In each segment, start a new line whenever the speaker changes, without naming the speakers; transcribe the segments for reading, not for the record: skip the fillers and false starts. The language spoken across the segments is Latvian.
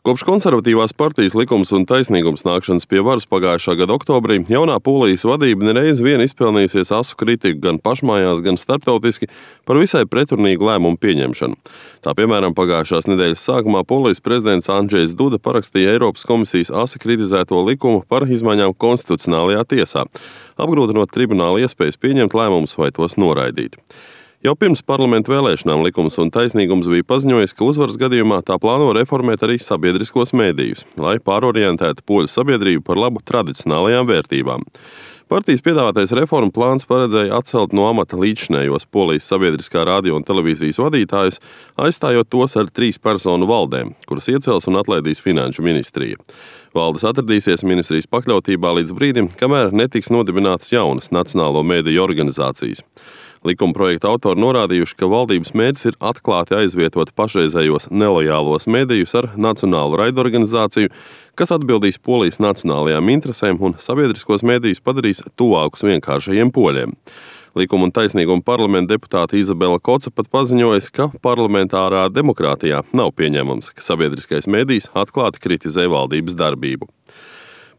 Kopš konservatīvās partijas Likums un taisnīgums nākšanas pie varas pagājušā gada oktobrī, jaunā Polijas vadība nereiz vien izpelnījusies asu kritiku gan pašmājās, gan starptautiski par visai pretrunīgu lēmumu pieņemšanu. Tā piemēram, pagājušās nedēļas sākumā Polijas prezidents Andžejs Duda parakstīja Eiropas komisijas asi kritizēto likumu par izmaiņām konstitucionālajā tiesā, apgrūtinot tribunāla iespējas pieņemt lēmumus vai tos noraidīt. Jau pirms parlamentu vēlēšanām Likums un taisnīgums bija paziņojis, ka uzvaras gadījumā tā plāno reformēt arī sabiedriskos mēdījus, lai pārorientētu poļu sabiedrību par labu tradicionālajām vērtībām. Partijas piedāvātais reformu plāns paredzēja atcelt no amata līdzšinējos Polijas sabiedriskā radio un televīzijas vadītājus, aizstājot tos ar 3 personu valdēm, kuras iecels un atlaidīs finanšu ministrija. Valdes atradīsies ministrijas pakļautībā līdz brīdim, kamēr netiks nodibinātas jaunas nacionālo mēdīju organizācijas. Likuma projekta autori norādījuši, ka valdības mērķis ir atklāti aizvietot pašreizējos nelojālos medijus ar nacionālu raidorganizāciju, kas atbildīs Polijas nacionālajām interesēm un sabiedriskos medijus padarīs tuvākus vienkāršajiem poļiem. Likuma un taisnīguma parlamenta deputāte Izabela Koca pat paziņojas, ka parlamentārā demokrātijā nav pieņemams, ka sabiedriskais medijs atklāti kritizē valdības darbību.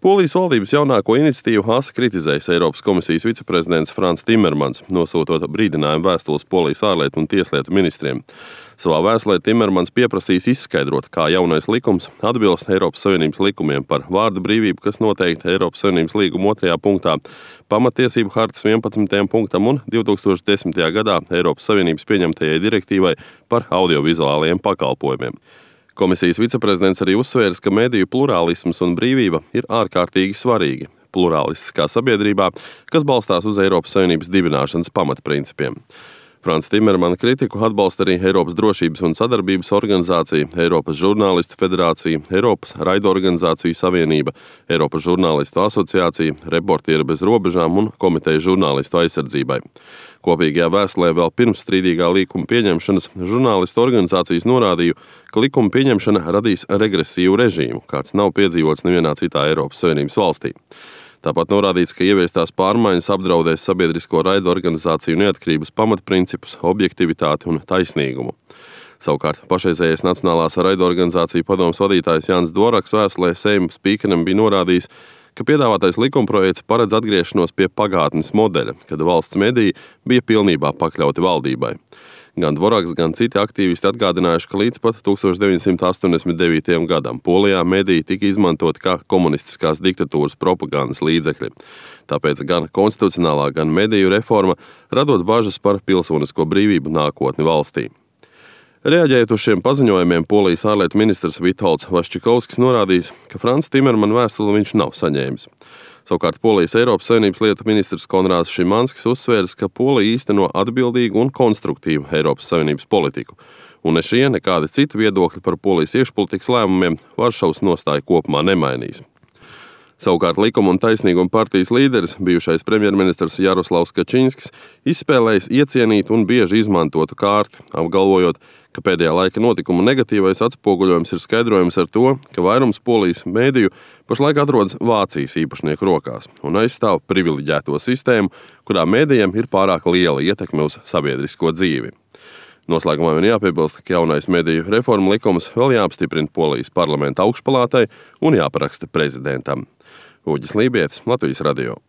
Polijas valdības jaunāko iniciatīvu asi kritizējis Eiropas komisijas viceprezidents Frans Timermans, nosūtot brīdinājumu vēstules Polijas ārlietu un tieslietu ministriem. Savā vēstulē Timermans pieprasīs izskaidrot, kā jaunais likums atbilst Eiropas Savienības likumiem par vārda brīvību, kas noteikti Eiropas Savienības līguma 2. punktā, pamatiesību hartas 11. punktam un 2010. gadā Eiropas Savienības pieņemtajai direktīvai par audiovizuālajiem pakalpojumiem. Komisijas viceprezidents arī uzsvērs, ka mediju plurālisms un brīvība ir ārkārtīgi svarīgi plurālistiskā sabiedrībā, kas balstās uz Eiropas Savienības dibināšanas pamatprincipiem. Frans Timermana kritiku atbalsta arī Eiropas drošības un sadarbības organizācija, Eiropas žurnālistu federācija, Eiropas raidorganizāciju savienība, Eiropas žurnālistu asociācija, Reportieri bez robežām un komiteja žurnālistu aizsardzībai. Kopīgajā vēstulē vēl pirms strīdīgā likuma pieņemšanas žurnālistu organizācijas norādīja, ka likuma pieņemšana radīs regresīvu režīmu, kāds nav piedzīvots nevienā citā Eiropas Savienības valstī. Tāpat norādīts, ka ieviestās pārmaiņas apdraudēs sabiedrisko raidorganizāciju neatkarības pamatprincipus, objektivitāti un taisnīgumu. Savukārt pašreizējais Nacionālās raidorganizāciju padomes vadītājs Jānis Dvoraks vēstulē Seima spīkeram bija norādījis, ka piedāvātais likumprojekts paredz atgriešanos pie pagātnes modeļa, kad valsts mediji bija pilnībā pakļauti valdībai. Gan Dvoraks, gan citi aktīvisti atgādinājuši, ka līdz pat 1989. gadam Polijā mediji tika izmantoti kā komunistiskās diktatūras propagandas līdzekļi. Tāpēc gan konstitucionālā, gan mediju reforma radot bažas par pilsonisko brīvību nākotni valstī. Reaģējot uz šiem paziņojumiem, Polijas ārlietu ministrs Vitolds Vaščikovskis norādījis, ka Frans Timermana vēstuli viņš nav saņēmis. Savukārt Polijas Eiropas Savienības lietu ministrs Konrāds Šimanskis uzsvērs, ka Polija īsteno atbildīgu un konstruktīvu Eiropas Savienības politiku, un ne šie, nekādi citi viedokļi par Polijas iekšpolitikas lēmumiem Varšavas nostāju kopumā nemainīs. Savukārt Likuma un taisnīguma partijas līderis, bijušais premjerministrs Jaroslavs Kačinskis, izspēlējis iecienītu un bieži izmantotu kārti, apgalvojot, ka pēdējā laika notikumu negatīvais atspoguļojums ir skaidrojams ar to, ka vairums Polijas mēdīju pašlaik atrodas Vācijas īpašnieku rokās un aizstāv privileģēto sistēmu, kurā mēdījiem ir pārāk liela ietekme uz sabiedrisko dzīvi. Noslēgumā vien jāpiebilst, ka jaunais mediju reforma likums vēl jāapstiprina Polijas parlamenta augšpalātai un jāparaksta prezidentam. Uģis Lībietis, Latvijas radio.